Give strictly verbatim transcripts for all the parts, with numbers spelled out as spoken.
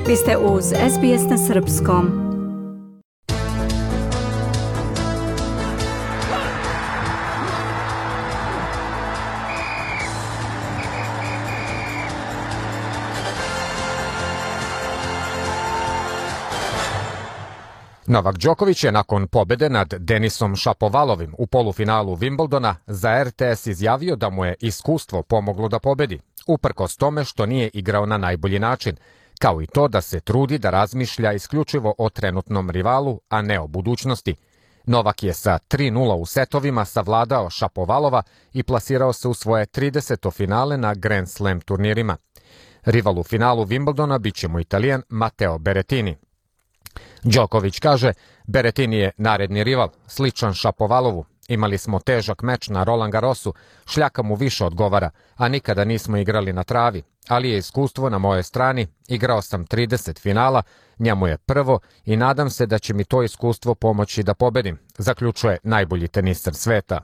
Vi ste uz S B S na srpskom. Novak Đoković je nakon pobjede nad Denisom Šapovalovim u polufinalu Wimbledona za R T S izjavio da mu je iskustvo pomoglo da pobedi, uprkos tome što nije igrao na najbolji način, kao i to da se trudi da razmišlja isključivo o trenutnom rivalu, a ne o budućnosti. Novak je sa tri nula u setovima savladao Šapovalova i plasirao se u svoje trideseto finale na Grand Slam turnirima. Rival u finalu Wimbledona bit će mu Italijan Matteo Berrettini. Đoković kaže, Berrettini je naredni rival, sličan Šapovalovu. Imali smo težak meč na Roland Garrosu, šljaka mu više odgovara, a nikada nismo igrali na travi, ali je iskustvo na mojoj strani, igrao sam trideset finala, njemu je prvo i nadam se da će mi to iskustvo pomoći da pobedim, zaključuje najbolji teniser sveta.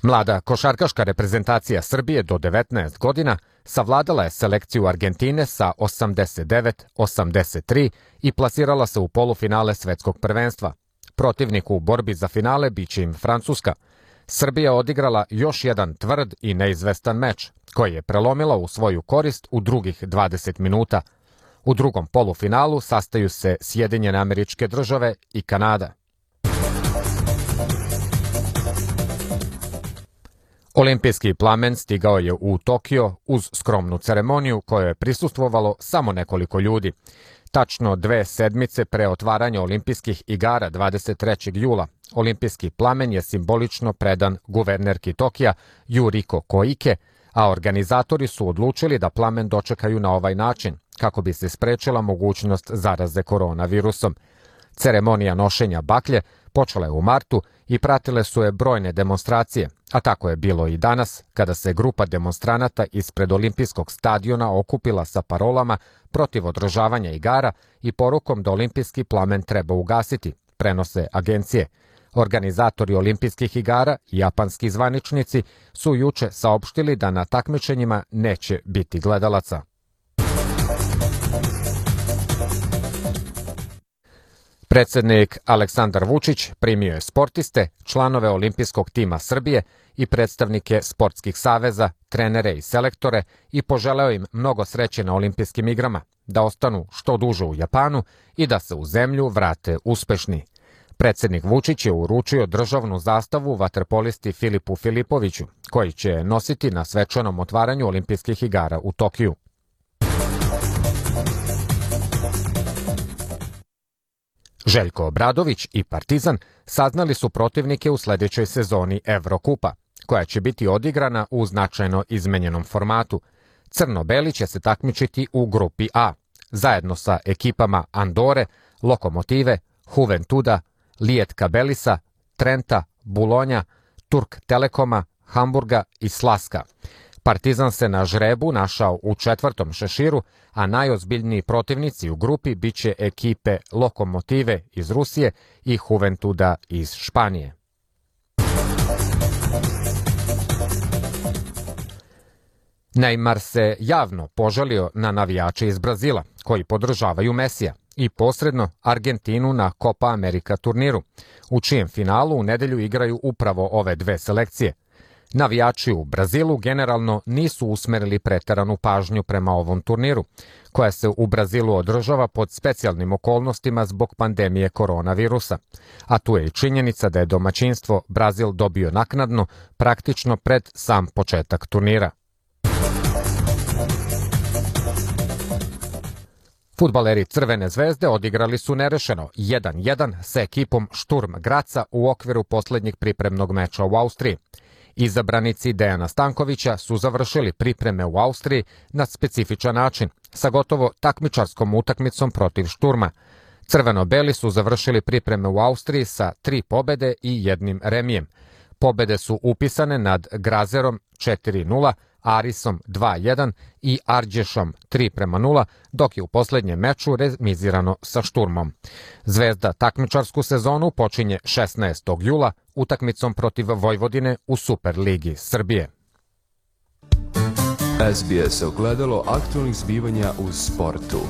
Mlada košarkaška reprezentacija Srbije do devetnaest godina savladala je selekciju Argentine sa osamdeset devet osamdeset tri i plasirala se u polufinale svetskog prvenstva. Protivnik u borbi za finale biće im Francuska. Srbija odigrala još jedan tvrd i neizvestan meč, koji je prelomila u svoju korist u drugih dvadeset minuta. U drugom polufinalu sastaju se Sjedinjene Američke Države i Kanada. Olimpijski plamen stigao je u Tokio uz skromnu ceremoniju kojoj je prisustvovalo samo nekoliko ljudi. Tačno dve sedmice pre otvaranja olimpijskih igara dvadeset trećeg jula, olimpijski plamen je simbolično predan guvernerki Tokija Yuriko Koike, a organizatori su odlučili da plamen dočekaju na ovaj način, kako bi se sprečila mogućnost zaraze koronavirusom. Ceremonija nošenja baklje počela je u martu i pratile su je brojne demonstracije, a tako je bilo i danas, kada se grupa demonstranata ispred olimpijskog stadiona okupila sa parolama protiv održavanja igara i porukom da olimpijski plamen treba ugasiti, prenose agencije. Organizatori olimpijskih igara i japanski zvaničnici su juče saopštili da na takmičenjima neće biti gledalaca. Predsednik Aleksandar Vučić primio je sportiste, članove olimpijskog tima Srbije i predstavnike sportskih saveza, trenere i selektore i poželeo im mnogo sreće na olimpijskim igrama, da ostanu što duže u Japanu i da se u zemlju vrate uspešni. Predsednik Vučić je uručio državnu zastavu vaterpolisti Filipu Filipoviću, koji će nositi na svečanom otvaranju olimpijskih igara u Tokiju. Željko Obradović i Partizan saznali su protivnike u sledećoj sezoni Evrokupa, koja će biti odigrana u značajno izmenjenom formatu. Crno-beli će se takmičiti u grupi A, zajedno sa ekipama Andore, Lokomotive, Juventuda, Lijetka Belisa, Trenta, Bulonja, Turk Telekoma, Hamburga i Slaska. Partizan se na žrebu našao u četvrtom šeširu, a najozbiljniji protivnici u grupi biće ekipe Lokomotive iz Rusije i Juventuda iz Španije. Neymar se javno požalio na navijače iz Brazila, koji podržavaju Mesija, i posredno Argentinu na Copa America turniru, u čijem finalu u nedelju igraju upravo ove dve selekcije. Navijači u Brazilu generalno nisu usmerili preteranu pažnju prema ovom turniru, koja se u Brazilu održava pod specijalnim okolnostima zbog pandemije koronavirusa. A tu je i činjenica da je domaćinstvo Brazil dobio naknadno, praktično pred sam početak turnira. Fudbaleri Crvene zvezde odigrali su nerešeno jedan jedan sa ekipom Šturm Graca u okviru poslednjeg pripremnog meča u Austriji. Izabranici Dejana Stankovića su završili pripreme u Austriji na specifičan način, sa gotovo takmičarskom utakmicom protiv Šturma. Crveno-beli su završili pripreme u Austriji sa tri pobede i jednim remijem. Pobede su upisane nad Grazerom četiri nula, Arisom dva jedan i Arđešom tri prema nula, dok je u poslednjem meču remizirano sa Šturmom. Zvezda takmičarsku sezonu počinje šesnaestog jula utakmicom protiv Vojvodine u Superligi Srbije. S B S ogledalo aktualnih zbivanja u sportu.